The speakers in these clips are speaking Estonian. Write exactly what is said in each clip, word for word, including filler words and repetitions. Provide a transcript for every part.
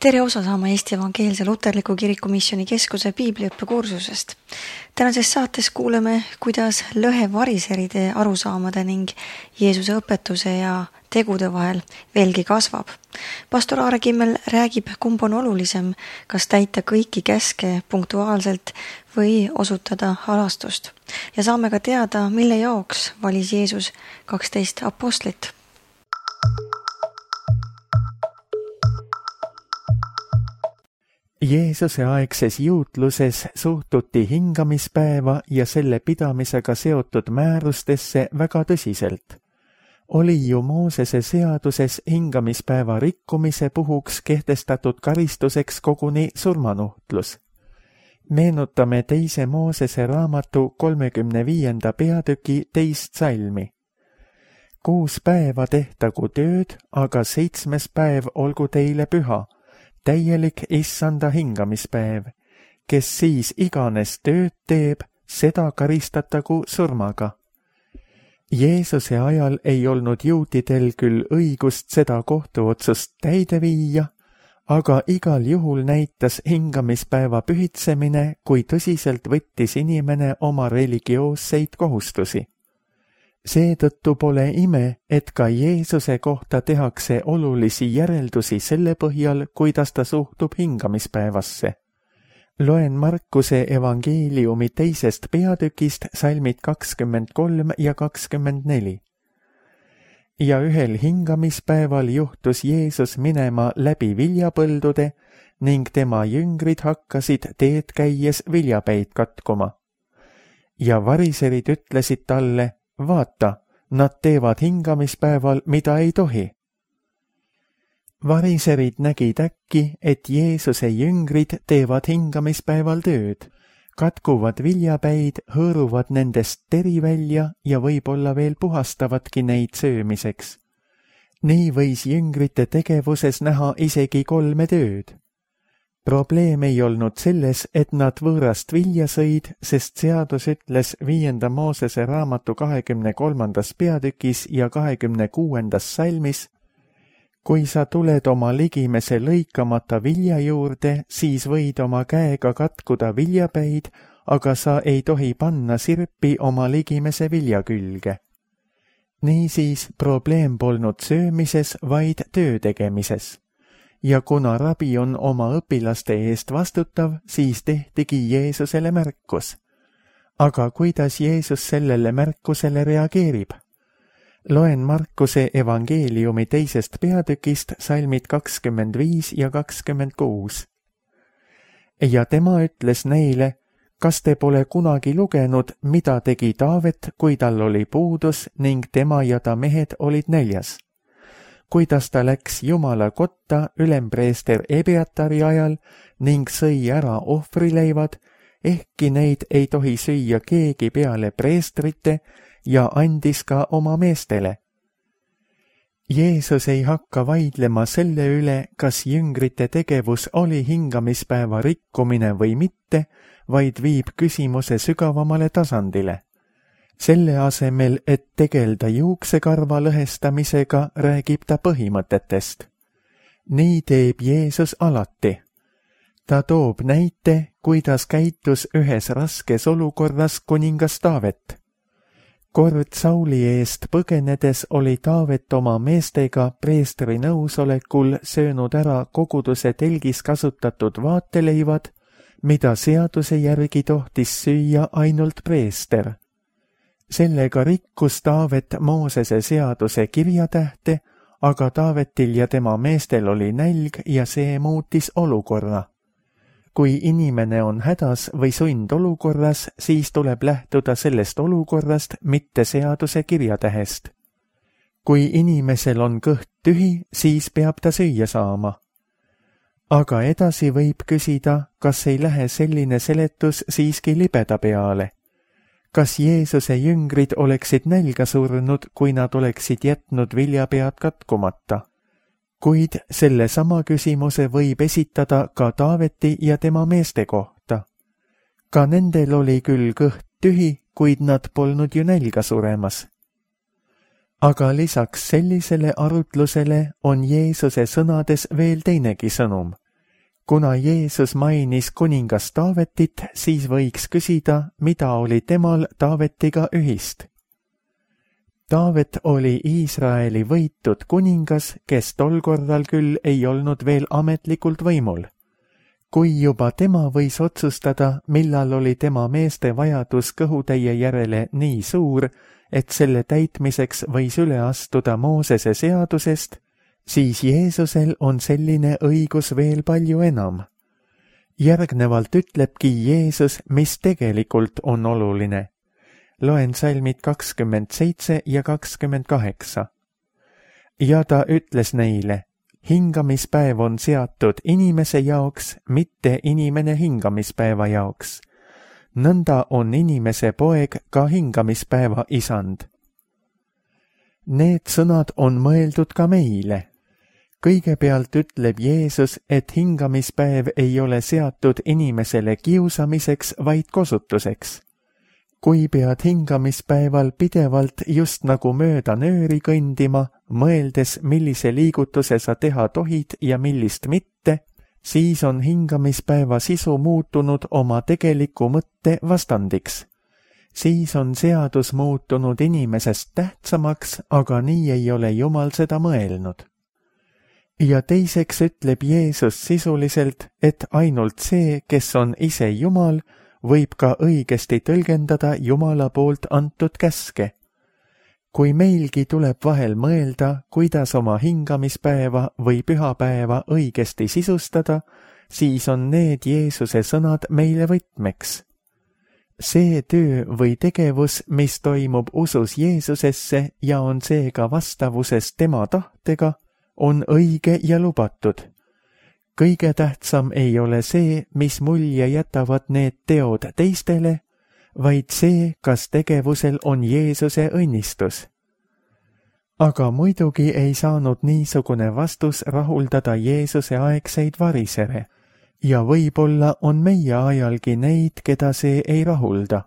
Tere osa saama Eesti Evangeelse Luterliku Kirikumisjoni Keskuse piibliõppekursusest. Tänases saates kuuleme, kuidas lõhe variseride arusaamade ning Jeesuse õpetuse ja tegude vahel veelgi kasvab. Pastor Aare Kimmel räägib, kumb on olulisem, kas täita kõiki käske punktuaalselt või osutada halastust. Ja saame ka teada, mille jaoks valis Jeesus kaksteist apostlit. Jeesuse aegses juutluses suhtuti hingamispäeva ja selle pidamisega seotud määrustesse väga tõsiselt. Oli ju Moosese seaduses hingamispäeva rikkumise puhuks kehtestatud karistuseks koguni surmanuhtlus. Meenutame teise Moosese raamatu kolmekümne viienda peatüki teist salmi. Kuus päeva tehtagu tööd, aga seitsmes päev olgu teile püha, täielik issanda hingamispäev. Kes siis iganes tööd teeb, seda karistatagu surmaga. Jeesuse ajal ei olnud juutidel küll õigust seda kohtuotsust täide viia, aga igal juhul näitas hingamispäeva pühitsemine, kui tõsiselt võttis inimene oma religioosseid kohustusi. Seetõttu pole ime, et ka Jeesuse kohta tehakse olulisi järeldusi selle põhjal, kuidas ta suhtub hingamispäevasse. Loen Markuse evangeeliumi teisest peatükist salmid kakskümmend kolm ja kakskümmend neli. Ja ühel hingamispäeval juhtus Jeesus minema läbi viljapõldude ning tema jüngrid hakkasid teed käies viljapäid katkuma. Ja variserid ütlesid talle, vaata, nad teevad hingamispäeval, mida ei tohi. Variserid nägid äkki, et Jeesuse jüngrid teevad hingamispäeval tööd, katkuvad viljapäid, hõõruvad nendest teri välja ja võib-olla veel puhastavadki neid söömiseks. Nii võis jüngrite tegevuses näha isegi kolme tööd. Probleem ei olnud selles, et nad võõrast vilja sõid, sest seadus ütles viienda Moosese raamatu kahekümne kolmandas peatükis ja kahekümne kuuendas salmis, kui sa tuled oma ligimese lõikamata vilja juurde, siis võid oma käega katkuda viljapäid, aga sa ei tohi panna sirpi oma ligimese vilja külge. Niisiis probleem polnud söömises, vaid töö tegemises. Ja kuna rabi on oma õpilaste eest vastutav, siis tehtigi Jeesusele märkus. Aga kuidas Jeesus sellele märkusele reageerib? Loen Markuse evangeeliumi teisest peatükist salmid kakskümmend viis ja kakskümmend kuus. Ja tema ütles neile, kas te pole kunagi lugenud, mida tegi Taavet, kui tal oli puudus ning tema ja ta mehed olid näljas? Kuidas ta läks Jumala kotta ülempreester Ebeatari ajal ning sõi ära ohvrileivad, ehkki neid ei tohi süüa keegi peale preestrite ja andis ka oma meestele. Jeesus ei hakka vaidlema selle üle, kas jüngrite tegevus oli hingamispäeva rikkumine või mitte, vaid viib küsimuse sügavamale tasandile. Selle asemel, et tegelda juuksekarva lõhestamisega, räägib ta põhimõtetest. Nii teeb Jeesus alati. Ta toob näite, kuidas käitus ühes raskes olukorras kuningas Taavet. Kord Sauli eest põgenedes oli Taavet oma meestega preestri nõusolekul söönud ära koguduse telgis kasutatud vaateleivad, mida seaduse järgi tohtis süüa ainult preester. Sellega rikkus Taavet Moosese seaduse kirjatähte, aga Taavetil ja tema meestel oli nälg ja see muutis olukorra. Kui inimene on hädas või sundolukorras, siis tuleb lähtuda sellest olukorrast, mitte seaduse kirjatähest. Kui inimesel on kõht tühi, siis peab ta süüa saama. Aga edasi võib küsida, kas ei lähe selline seletus siiski libeda peale. Kas Jeesuse jüngrid oleksid nälga surnud, kui nad oleksid jätnud viljapead katkumata? Kuid selle sama küsimuse võib esitada ka Taaveti ja tema meeste kohta. Ka nendel oli küll kõht tühi, kuid nad polnud ju nälga suremas. Aga lisaks sellisele arutlusele on Jeesuse sõnades veel teinegi sõnum. kuna Jeesus mainis kuningas Taavetit, siis võiks küsida, mida oli temal Taavetiga ühist. Taavet oli Iisraeli võitud kuningas, kes tol korral küll ei olnud veel ametlikult võimul. Kui juba tema võis otsustada, millal oli tema meeste vajadus kõhutäie järele nii suur, et selle täitmiseks võis üle astuda Moosese seadusest, siis Jeesusel on selline õigus veel palju enam. Järgnevalt ütlebki Jeesus, mis tegelikult on oluline. Loen salmid kakskümmend seitse ja kakskümmend kaheksa. Ja ta ütles neile, hingamispäev on seatud inimese jaoks, mitte inimene hingamispäeva jaoks. Nõnda on inimese poeg ka hingamispäeva isand. Need sõnad on mõeldud ka meile. Kõigepealt ütleb Jeesus, et hingamispäev ei ole seatud inimesele kiusamiseks, vaid kosutuseks. Kui pead hingamispäeval pidevalt just nagu mööda nööri kõndima, mõeldes, millise liigutuse sa teha tohid ja millist mitte, siis on hingamispäeva sisu muutunud oma tegeliku mõtte vastandiks. Siis on seadus muutunud inimesest tähtsamaks, aga nii ei ole Jumal seda mõelnud. Ja teiseks ütleb Jeesus sisuliselt, et ainult see, kes on ise Jumal, võib ka õigesti tõlgendada Jumala poolt antud käske. Kui meilgi tuleb vahel mõelda, kuidas oma hingamispäeva või pühapäeva õigesti sisustada, siis on need Jeesuse sõnad meile võtmeks. See töö või tegevus, mis toimub usus Jeesusesse ja on seega vastavuses tema tahtega, on õige ja lubatud. Kõige tähtsam ei ole see, mis mulje jätavad need teod teistele, vaid see, kas tegevusel on Jeesuse õnnistus. Aga muidugi ei saanud niisugune vastus rahuldada Jeesuse aegseid varisere, ja võib-olla on meie ajalgi neid, keda see ei rahulda.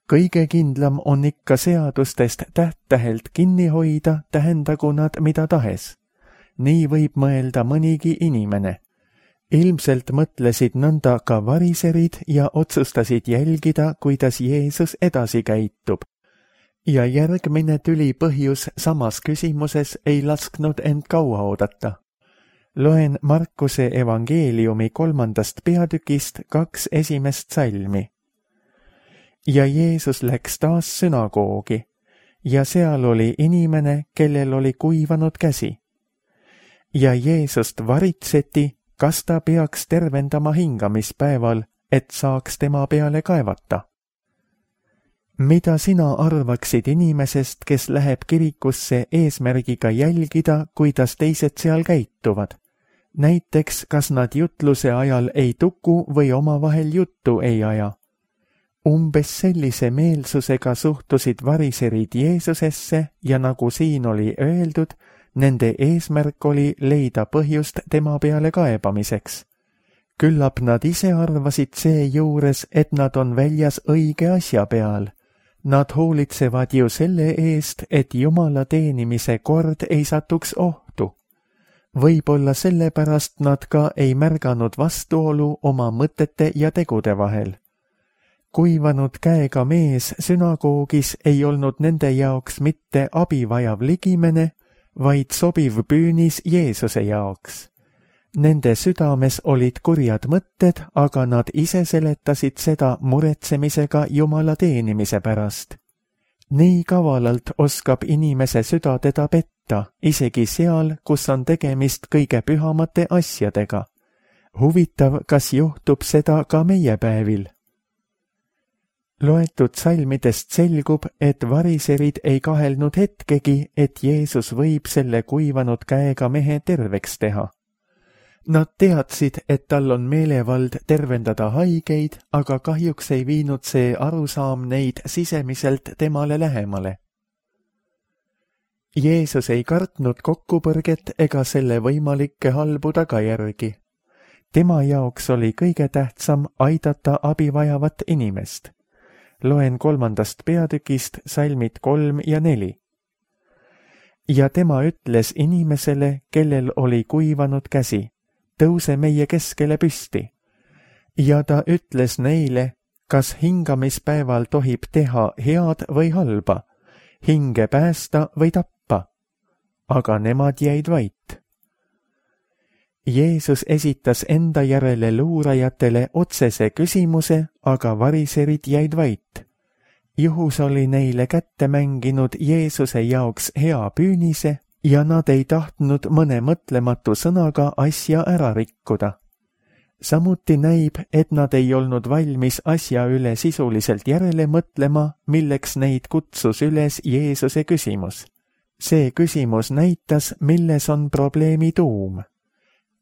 Kõige kindlam on ikka seadustest täht-tähelt kinni hoida, tähendagu nad mida tahes. Nii võib mõelda mõnigi inimene. Ilmselt mõtlesid nõnda ka variserid ja otsustasid jälgida, kuidas Jeesus edasi käitub. Ja järgmine tüli põhjus samas küsimuses ei lasknud end kaua oodata. Loen Markuse evangeeliumi kolmandast peatükist kaks esimest salmi. Ja Jeesus läks taas sünagoogi, ja seal oli inimene, kellel oli kuivanud käsi. Ja Jeesust varitseti, kas ta peaks tervendama hingamispäeval, et saaks tema peale kaevata. Mida sina arvaksid inimesest, kes läheb kirikusse eesmärgiga jälgida, kuidas teised seal käituvad? Näiteks, kas nad jutluse ajal ei tuku või omavahel juttu ei aja? Umbes sellise meelsusega suhtusid variserid Jeesusesse ja nagu siin oli öeldud, nende eesmärk oli leida põhjust tema peale kaebamiseks. Küllap nad ise arvasid seejuures, et nad on väljas õige asja peal. Nad hoolitsevad ju selle eest, et Jumala teenimise kord ei satuks ohtu. Võib-olla sellepärast nad ka ei märganud vastuolu oma mõtete ja tegude vahel. Kuivanud käega mees sünagoogis ei olnud nende jaoks mitte abivajav ligimene, vaid sobiv püünis Jeesuse jaoks. Nende südames olid kurjad mõtted, aga nad ise seletasid seda muretsemisega Jumala teenimise pärast. Nii kavalalt oskab inimese süda teda petta, isegi seal, kus on tegemist kõige pühamate asjadega. Huvitav, kas juhtub seda ka meie päevil? Loetud salmidest selgub, et variserid ei kahelnud hetkegi, et Jeesus võib selle kuivanud käega mehe terveks teha. Nad teadsid, et tal on meelevald tervendada haigeid, aga kahjuks ei viinud see arusaam neid sisemiselt temale lähemale. Jeesus ei kartnud kokkupõrget ega selle võimalikke halbu tagajärgi. Tema jaoks oli kõige tähtsam aidata abivajavat inimest. Loen kolmandast peatükist salmid kolm ja neli. Ja tema ütles inimesele, kellel oli kuivanud käsi, tõuse meie keskele püsti. Ja ta ütles neile, kas hingamispäeval tohib teha head või halba, hinge päästa või tappa. Aga nemad jäid vait. Jeesus esitas enda järele luurajatele otsese küsimuse, aga variserid jäid vait. Juhus oli neile kätte mänginud Jeesuse jaoks hea püünise ja nad ei tahtnud mõne mõtlematu sõnaga asja ära rikkuda. Samuti näib, et nad ei olnud valmis asja üle sisuliselt järele mõtlema, milleks neid kutsus üles Jeesuse küsimus. See küsimus näitas, milles on probleemi tuum.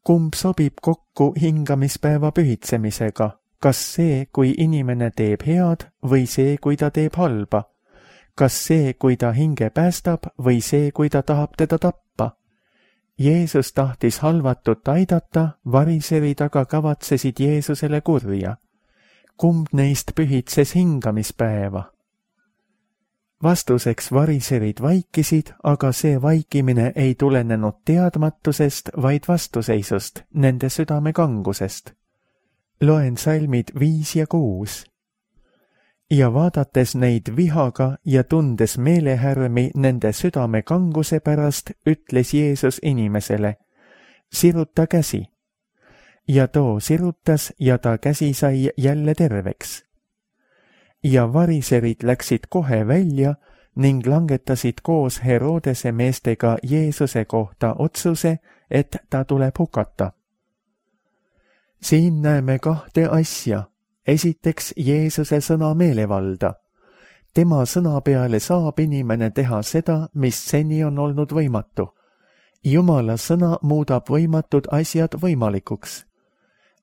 Kumb sobib kokku hingamispäeva pühitsemisega? Kas see, kui inimene teeb head või see, kui ta teeb halba? Kas see, kui ta hinge päästab või see, kui ta tahab teda tappa? Jeesus tahtis halvatut aidata, variserid aga kavatsesid Jeesusele kurja. Kumb neist pühitses hingamispäeva? Vastuseks variserid vaikisid, aga see vaikimine ei tulenenud teadmatusest, vaid vastuseisust, nende südame kangusest. Loen salmid viis ja kuus. Ja vaadates neid vihaga ja tundes meelehärmi nende südame kanguse pärast, ütles Jeesus inimesele, siruta käsi. Ja too sirutas ja ta käsi sai jälle terveks. Ja variserid läksid kohe välja ning langetasid koos Herodese meestega Jeesuse kohta otsuse, et ta tuleb hukata. Siin näeme kahte asja. Esiteks Jeesuse sõna meelevalda. Tema sõna peale saab inimene teha seda, mis seni on olnud võimatu. Jumala sõna muudab võimatud asjad võimalikuks.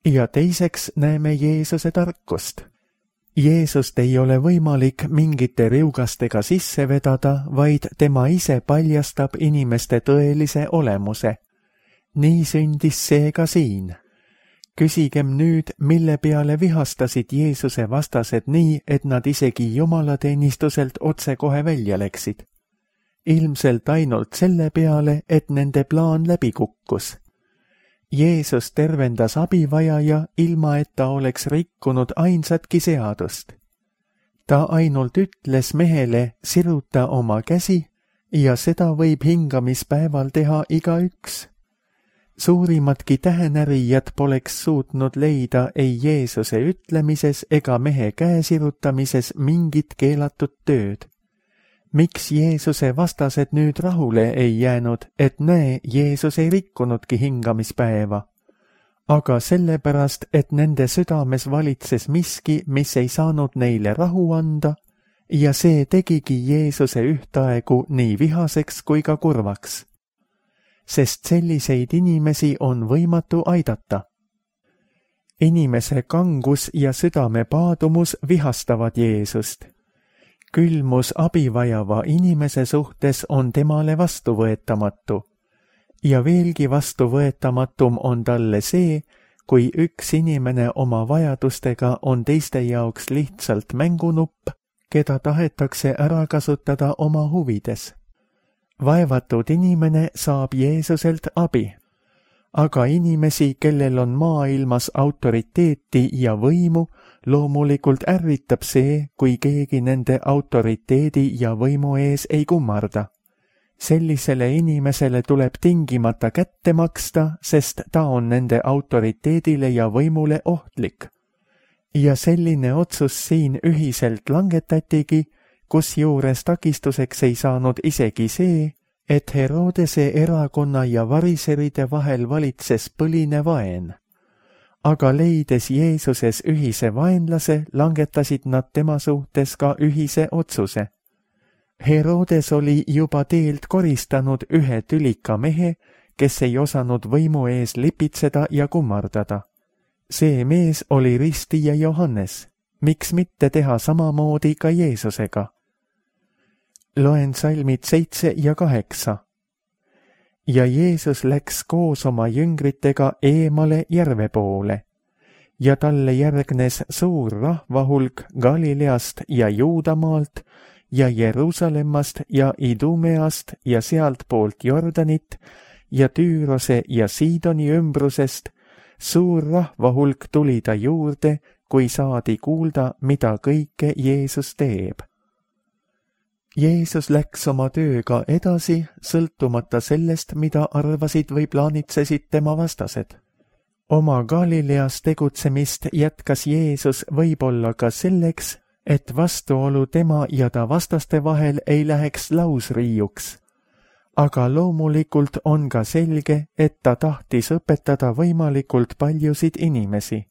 Ja teiseks näeme Jeesuse tarkust. Jeesust ei ole võimalik mingite riugastega sisse vedada, vaid tema ise paljastab inimeste tõelise olemuse. Nii sündis see ka siin. Küsigem nüüd, mille peale vihastasid Jeesuse vastased nii, et nad isegi jumalateenistuselt otsekohe välja läksid. Ilmselt ainult selle peale, et nende plaan läbi kukkus. Jeesus tervendas abivajaja, ilma et ta oleks rikkunud ainsatki seadust. Ta ainult ütles mehele, siruta oma käsi, ja seda võib hingamispäeval teha igaüks. Suurimatki tähenärijad poleks suutnud leida ei Jeesuse ütlemises ega mehe käe sirutamises mingit keelatud tööd. Miks Jeesuse vastased nüüd rahule ei jäänud, et näe, Jeesus ei rikkunudki hingamispäeva? Aga sellepärast, et nende südames valitses miski, mis ei saanud neile rahu anda, ja see tegigi Jeesuse ühtaegu nii vihaseks kui ka kurvaks. Sest selliseid inimesi on võimatu aidata. Inimese kangus ja südame paadumus vihastavad Jeesust. Külmus abivajava inimese suhtes on temale vastuvõetamatu. Ja veelgi vastuvõetamatum on talle see, kui üks inimene oma vajadustega on teiste jaoks lihtsalt mängunupp, keda tahetakse ära kasutada oma huvides. Vaevatud inimene saab Jeesuselt abi, aga inimesi, kellel on maailmas autoriteeti ja võimu, loomulikult ärritab see, kui keegi nende autoriteedi ja võimu ees ei kummarda. Sellisele inimesele tuleb tingimata kätte maksta, sest ta on nende autoriteedile ja võimule ohtlik. Ja selline otsus siin ühiselt langetatigi, kusjuures takistuseks ei saanud isegi see, et Herodese erakonna ja variseride vahel valitses põline vaen. Aga leides Jeesuses ühise vaenlase, langetasid nad tema suhtes ka ühise otsuse. Herodes oli juba teelt koristanud ühe tülika mehe, kes ei osanud võimu ees lipitseda ja kummardada. See mees oli ristija Johannes. Miks mitte teha samamoodi ka Jeesusega? Loen salmid seitse ja kaheksa. Ja Jeesus läks koos oma jüngritega eemale järve poole. Ja talle järgnes suur rahvahulk Galileast ja Juudamaalt ja Jeruusalemmast ja Idumeast ja sealt poolt Jordanit ja Tüürose ja Siidoni ümbrusest suur rahvahulk tuli ta juurde, kui saadi kuulda, mida kõike Jeesus teeb. Jeesus läks oma tööga edasi, sõltumata sellest, mida arvasid või plaanitsesid tema vastased. Oma Galileas tegutsemist jätkas Jeesus võib-olla ka selleks, et vastuolu tema ja ta vastaste vahel ei läheks lausriiuks. Aga loomulikult on ka selge, et ta tahtis õpetada võimalikult paljusid inimesi.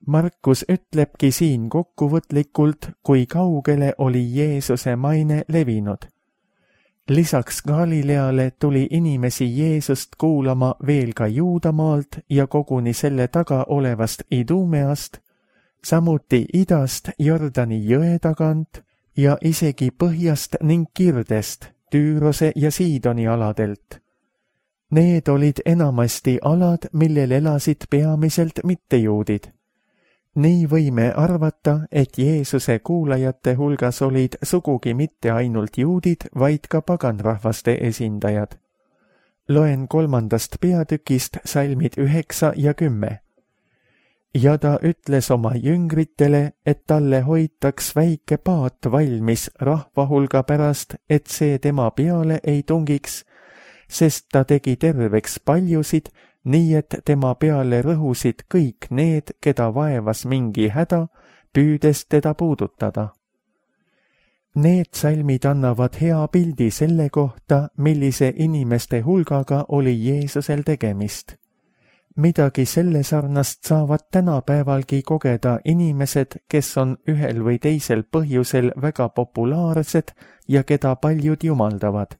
Markus ütlebki siin kokkuvõtlikult, kui kaugele oli Jeesuse maine levinud. Lisaks Galileale tuli inimesi Jeesust kuulama veel ka Juudamaalt ja koguni selle taga olevast Idumeast, samuti idast Jordani jõe tagant ja isegi põhjast ning kirdest, Tüürose ja Siidoni aladelt. Need olid enamasti alad, millel elasid peamiselt mittejuudid. Nii võime arvata, et Jeesuse kuulajate hulgas olid sugugi mitte ainult juudid, vaid ka paganrahvaste esindajad. Loen kolmandast peatükist salmid üheksa ja kümme. Ja ta ütles oma jüngritele, et talle hoitaks väike paat valmis rahvahulga pärast, et see tema peale ei tungiks, sest ta tegi terveks paljusid, nii et tema peale rõhusid kõik need, keda vaevas mingi häda, püüdes teda puudutada. Need salmid annavad hea pildi selle kohta, millise inimeste hulgaga oli Jeesusel tegemist. Midagi selle sarnast saavad tänapäevalgi kogeda inimesed, kes on ühel või teisel põhjusel väga populaarsed ja keda paljud jumaldavad.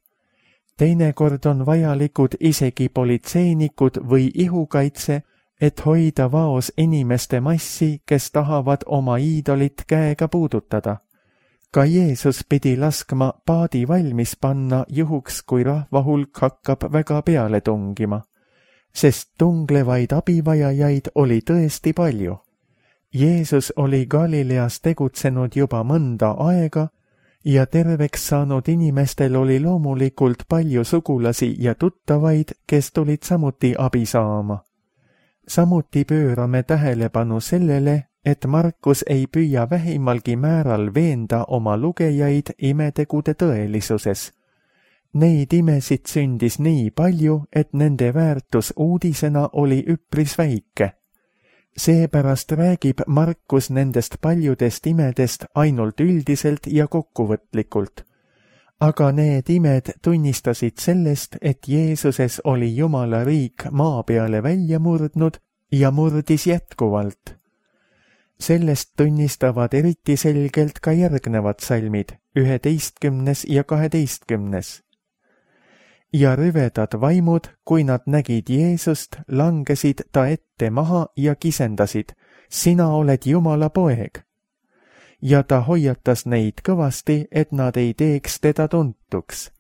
Teinekord on vajalikud isegi politseinikud või ihukaitse, et hoida vaos inimeste massi, kes tahavad oma iidolit käega puudutada. Ka Jeesus pidi laskma paadi valmis panna juhuks, kui rahvahulk hakkab väga peale tungima, sest tunglevaid abivajajaid oli tõesti palju. Jeesus oli Galileas tegutsenud juba mõnda aega, ja terveks saanud inimestel oli loomulikult palju sugulasi ja tuttavaid, kes tulid samuti abi saama. Samuti pöörame tähelepanu sellele, et Markus ei püüa vähimalgi määral veenda oma lugejaid imetegude tõelisuses. Neid imesid sündis nii palju, et nende väärtus uudisena oli üpris väike. Seepärast räägib Markus nendest paljudest imedest ainult üldiselt ja kokkuvõtlikult. Aga need imed tunnistasid sellest, et Jeesuses oli Jumala riik maa peale välja murdnud ja murdis jätkuvalt. Sellest tunnistavad eriti selgelt ka järgnevad salmid, üheteistkümnes ja kaheteistkümnes. Ja rüvedad vaimud, kui nad nägid Jeesust, langesid ta ette maha ja kisendasid, sina oled Jumala poeg. Ja ta hoiatas neid kõvasti, et nad ei teeks teda tuntuks.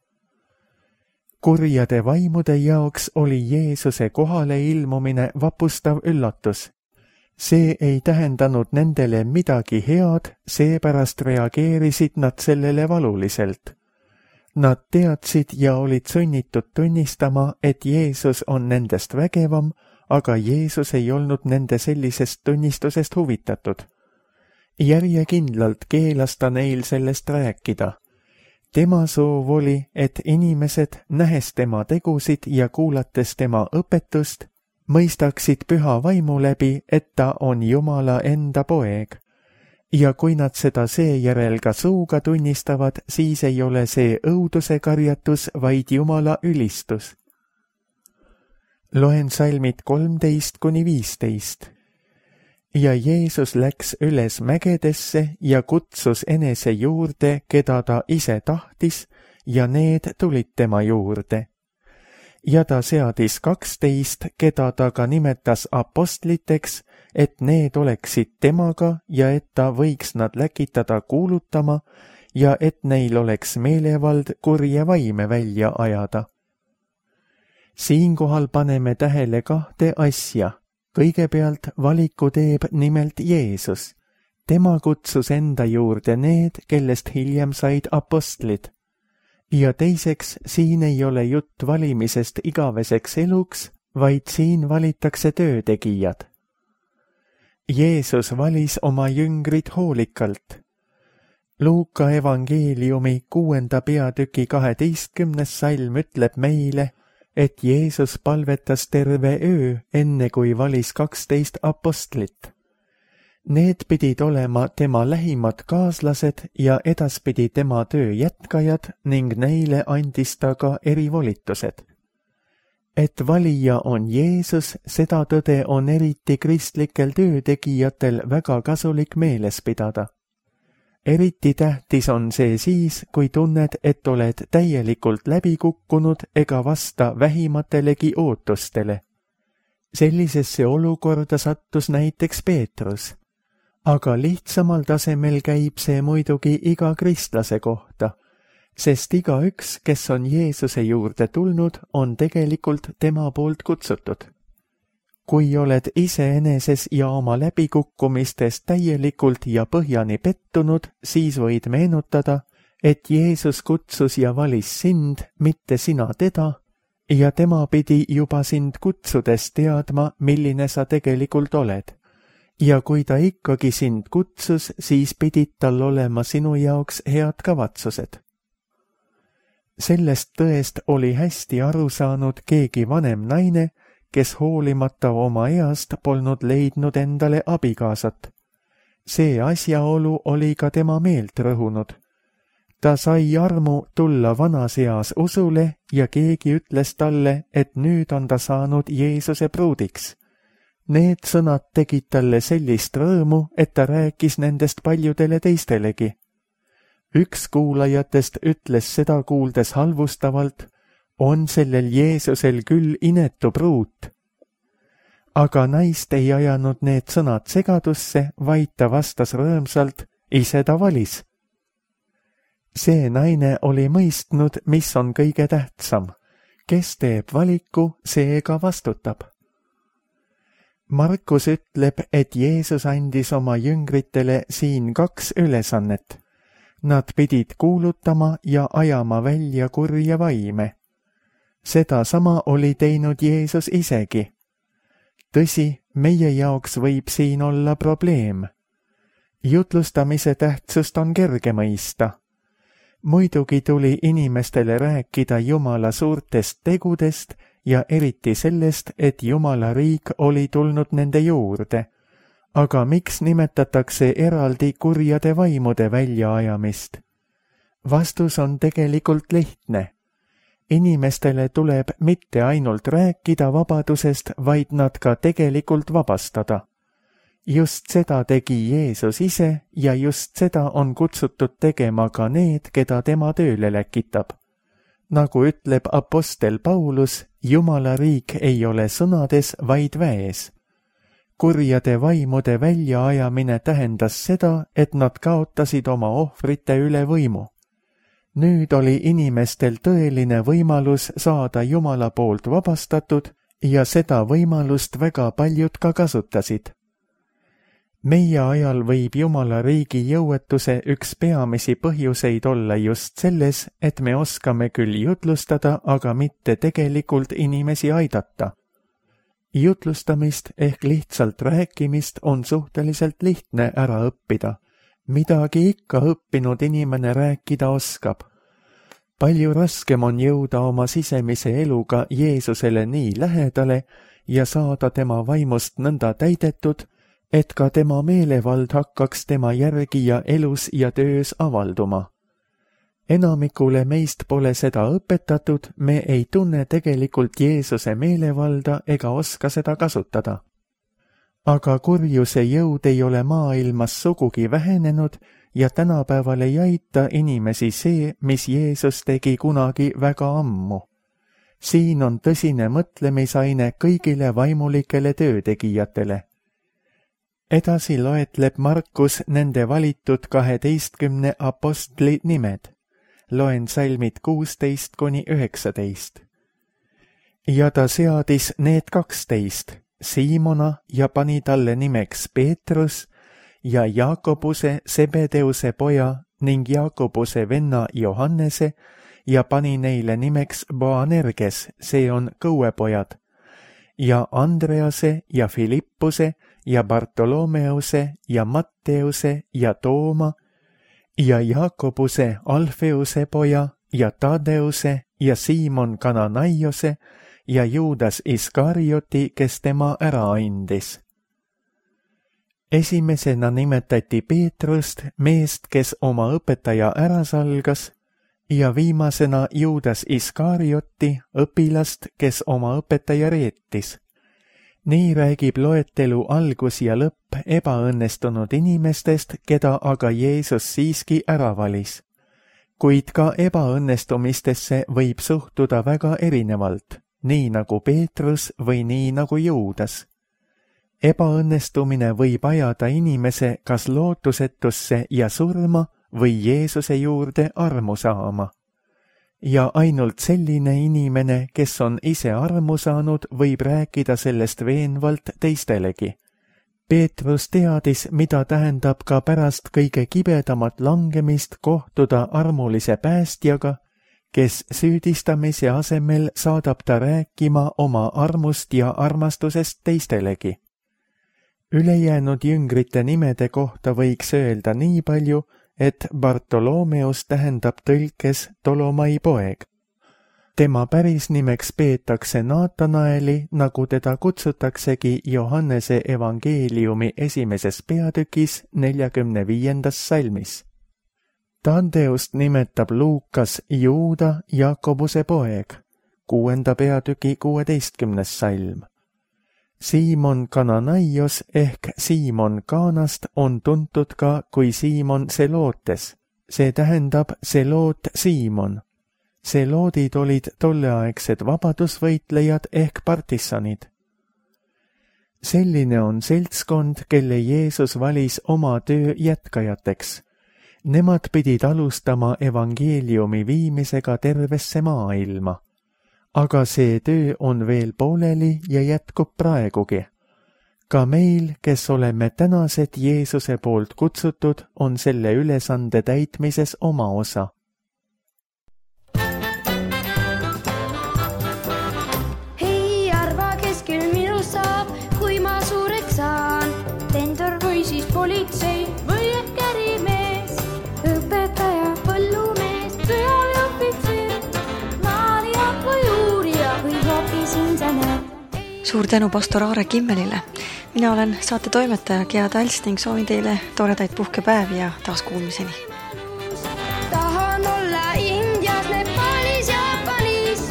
Kurjade vaimude jaoks oli Jeesuse kohale ilmumine vapustav üllatus. See ei tähendanud nendele midagi head, seepärast reageerisid nad sellele valuliselt. Nad teadsid ja olid sunnitud tunnistama, et Jeesus on nendest vägevam, aga Jeesus ei olnud nende sellisest tunnistusest huvitatud. Järjekindlalt keelas ta neil sellest rääkida. Tema soov oli, et inimesed, nähes tema tegusid ja kuulates tema õpetust, mõistaksid püha vaimu läbi, et ta on Jumala enda poeg. Ja kui nad seda seejärel ka suuga tunnistavad, siis ei ole see õuduse karjatus, vaid Jumala ülistus. Loen salmid kolmteist kuni viisteist. Ja Jeesus läks üles mägedesse ja kutsus enese juurde, keda ta ise tahtis, ja need tulid tema juurde. Ja ta seadis kaksteist, keda ta ka nimetas apostliteks, et need oleksid temaga ja et ta võiks nad läkitada kuulutama ja et neil oleks meelevald kurje vaime välja ajada. Siinkohal paneme tähele kahte asja. Kõigepealt valiku teeb nimelt Jeesus. Tema kutsus enda juurde need, kellest hiljem said apostlid. Ja teiseks, siin ei ole jutt valimisest igaveseks eluks, vaid siin valitakse töötegijad. Jeesus valis oma jüngrid hoolikalt. Luuka evangeeliumi kuuenda peatüki kaheteistkümnes salm ütleb meile, et Jeesus palvetas terve öö, enne kui valis kaksteist apostlit. Need pidid olema tema lähimad kaaslased ja edaspidi tema töö jätkajad ning neile andis ta ka erivolitused. Et valija on Jeesus, seda tõde on eriti kristlikel töötegijatel väga kasulik meeles pidada. Eriti tähtis on see siis, kui tunned, et oled täielikult läbi kukkunud ega vasta vähimatelegi ootustele. Sellisesse olukorda sattus näiteks Peetrus. Aga lihtsamal tasemel käib see muidugi iga kristlase kohta, sest igaüks, kes on Jeesuse juurde tulnud, on tegelikult tema poolt kutsutud. Kui oled iseeneses ja oma läbikukkumistes täielikult ja põhjani pettunud, siis võid meenutada, et Jeesus kutsus ja valis sind, mitte sina teda, ja tema pidi juba sind kutsudes teadma, milline sa tegelikult oled. Ja kui ta ikkagi sind kutsus, siis pidid tal olema sinu jaoks head kavatsused. Sellest tõest oli hästi aru saanud keegi vanem naine, kes hoolimata oma east polnud leidnud endale abikaasat. See asjaolu oli ka tema meelt rõhunud. Ta sai armu tulla vanas eas usule ja keegi ütles talle, et nüüd on ta saanud Jeesuse pruudiks. Need sõnad tegid talle sellist rõõmu, et ta rääkis nendest paljudele teistelegi. Üks kuulajatest ütles seda kuuldes halvustavalt, on sellel Jeesusel küll inetu pruut. Aga naist ei ajanud need sõnad segadusse, vaid ta vastas rõõmsalt, ise ta valis. See naine oli mõistnud, mis on kõige tähtsam. Kes teeb valiku, see ka vastutab. Markus ütleb, et Jeesus andis oma jüngritele siin kaks ülesannet. Nad pidid kuulutama ja ajama välja kurja vaime. Seda sama oli teinud Jeesus isegi. Tõsi, meie jaoks võib siin olla probleem. Jutlustamise tähtsust on kerge mõista. Muidugi tuli inimestele rääkida Jumala suurtest tegudest ja eriti sellest, et Jumala riik oli tulnud nende juurde. Aga miks nimetatakse eraldi kurjade vaimude väljaajamist? Vastus on tegelikult lihtne. Inimestele tuleb mitte ainult rääkida vabadusest, vaid nad ka tegelikult vabastada. Just seda tegi Jeesus ise ja just seda on kutsutud tegema ka need, keda tema tööle läkitab. Nagu ütleb apostel Paulus, Jumala riik ei ole sõnades, vaid väes. Kurjade vaimude väljaajamine tähendas seda, et nad kaotasid oma ohvrite üle võimu. Nüüd oli inimestel tõeline võimalus saada Jumala poolt vabastatud ja seda võimalust väga paljud ka kasutasid. Meie ajal võib Jumala riigi jõuetuse üks peamisi põhjuseid olla just selles, et me oskame küll jutlustada, aga mitte tegelikult inimesi aidata. Jutlustamist ehk lihtsalt rääkimist on suhteliselt lihtne ära õppida. Midagi ikka õppinud inimene rääkida oskab. Palju raskem on jõuda oma sisemise eluga Jeesusele nii lähedale ja saada tema vaimust nõnda täidetud, et ka tema meelevald hakkaks tema järgi ja elus ja töös avalduma. Enamikule meist pole seda õpetatud, me ei tunne tegelikult Jeesuse meelevalda ega oska seda kasutada. Aga kurjuse jõud ei ole maailmas sugugi vähenenud ja tänapäeval ei aita inimesi see, mis Jeesus tegi kunagi väga ammu. Siin on tõsine mõtlemisaine kõigile vaimulikele töötegijatele. Edasi loetleb Markus nende valitud kaheteistkümne apostli nimed. Loen salmid kuusteist kuni üheksateist. Ja ta seadis need kaksteist, Siimona ja pani talle nimeks Peetrus ja Jaakobuse Sebedeuse poja ning Jaakobuse venna Johannese ja pani neile nimeks Boanerges, see on kõuepojad, ja Andrease ja Filippuse ja Bartolomeuse ja Matteuse ja Tooma ja Jaakobuse Alfeuse poja ja Tadeuse ja Siimon Kananaiose ja Juudas Iskarioti, kes tema ära andis. Esimesena nimetati Peetrust, meest, kes oma õpetaja ära salgas, ja viimasena Juudas Iskarioti, õpilast, kes oma õpetaja reetis. Nii räägib loetelu algus ja lõpp ebaõnnestunud inimestest, keda aga Jeesus siiski ära valis. Kuid ka ebaõnnestumistesse võib suhtuda väga erinevalt, nii nagu Peetrus või nii nagu Juudas. Ebaõnnestumine võib ajada inimese kas lootusetusse ja surma või Jeesuse juurde armu saama. Ja ainult selline inimene, kes on ise armu saanud, võib rääkida sellest veenvalt teistelegi. Peetrus teadis, mida tähendab ka pärast kõige kibedamat langemist kohtuda armulise päästjaga, kes süüdistamise asemel saadab ta rääkima oma armust ja armastusest teistelegi. Ülejäänud jüngrite nimede kohta võiks öelda nii palju, et Bartolomeus tähendab tõlkes Tolomai poeg. Tema päris nimeks peetakse Naatanaeli, nagu teda kutsutaksegi Johannese evangeeliumi esimeses peatükis neljakümne viiendas salmis. Tadeust nimetab Luukas Juuda Jaakobuse poeg, kuuenda peatüki kuueteistkümnes salm. Siimon Kananaios ehk Siimon Kaanast on tuntud ka kui Siimon Selootes, see tähendab Seloot Siimon. Seloodid olid tolleaegsed vabadusvõitlejad ehk partisanid. Selline on seltskond, kelle Jeesus valis oma töö jätkajateks. Nemad pidid alustama evangeeliumi viimisega tervesse maailma. Aga see töö on veel pooleli ja jätkub praegugi. Ka meil, kes oleme tänased Jeesuse poolt kutsutud, on selle ülesande täitmises oma osa. Hei, arva, kes küll minu saab, kui ma suureks saan. Tendor või siis politsei või ehk ärimees, õpetaja, põllumees, sõjaväeohvitser, maalija või uurija või hoopis insener. Suur tänu pastor Aare Kimmelile. Mina olen saate toimetaja Gea Talts ning soovin teile toredaid puhkepäevi ja taas kuulmiseni. Tahan olla Indias, Nepalis, Jaapanis,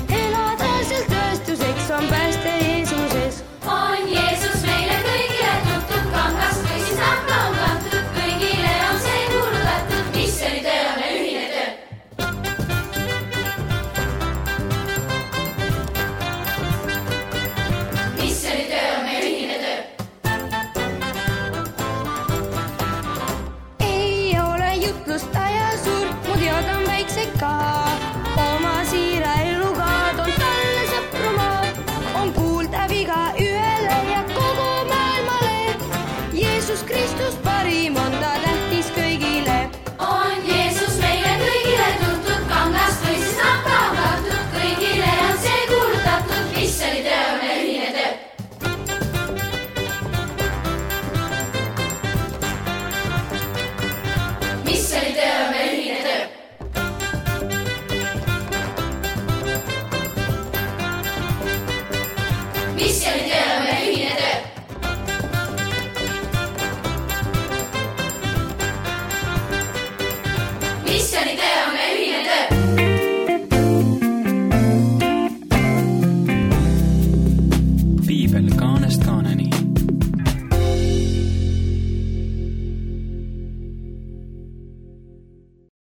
elada seal tõestuseks on pääste Jeesuses. On Jeesus meile kõigile tuntud, kangast või siis nahka on kantud, kõigile on see kuulutatud, missioonitöö on meil ühine töö. Missioonitöö on meil ühine töö. Ei ole jutlustaja suur, mu teod on väiksed ka. Oma siira eluga toon talle sõprumaad. On kuuldav iga ühele ja kogu maailmale. Jeesus Kristus parim on ta tähtis kõigile. On Jeesus meile kõigile tuntud, kangast või siis nahka on kantud, kõigile on see kuulutatud, missioonitöö on meil ühine töö. Missioonitöö on meil ühine töö. Missioonitöö